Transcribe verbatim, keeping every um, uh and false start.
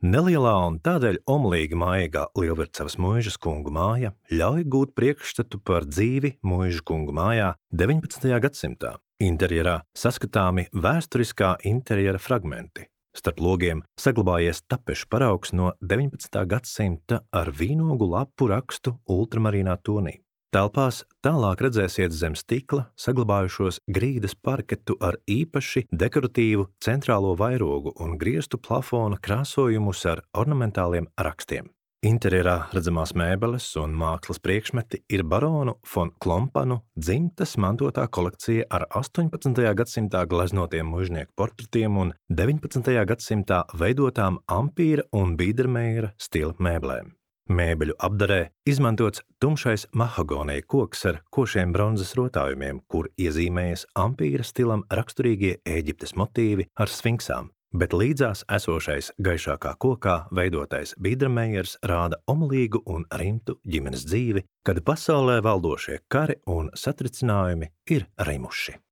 Nelielā un tādēļ omlīgi maigā Lielvircavas muižas kungu māja ļauj gūt priekšstatu par dzīvi muižu kungu mājā deviņpadsmitajā gadsimtā. Interjerā saskatāmi vēsturiskā interjera fragmenti. Starp logiem saglabājies tapešu paraugs no deviņpadsmitā gadsimta ar vīnogu lapu rakstu ultramarīnā tonī. Telpās tālāk redzēsiet zem stikla saglabājušos grīdas parketu ar īpaši dekoratīvu centrālo vairogu un grieztu plafona krāsojumus ar ornamentāliem rakstiem. Interjerā redzamās mēbeles un mākslas priekšmeti ir baronu fon Klompanu dzimtas mantotā kolekcija ar astoņpadsmitajā gadsimtā gleznotiem muižnieku portretiem un deviņpadsmitajā gadsimtā veidotām ampīra un bīdermeira stila mēblēm. Mēbeļu apdarē izmantots tumšais mahagonija koks ar košiem bronzas rotājumiem, kur iezīmējas ampīra stilam raksturīgie Ēģiptes motīvi ar sfinksām, bet līdzās esošais gaišākā kokā veidotais bīdermeiers rāda omulīgu un rimtu ģimenes dzīvi, kad pasaulē valdošie kari un satricinājumi ir rimuši.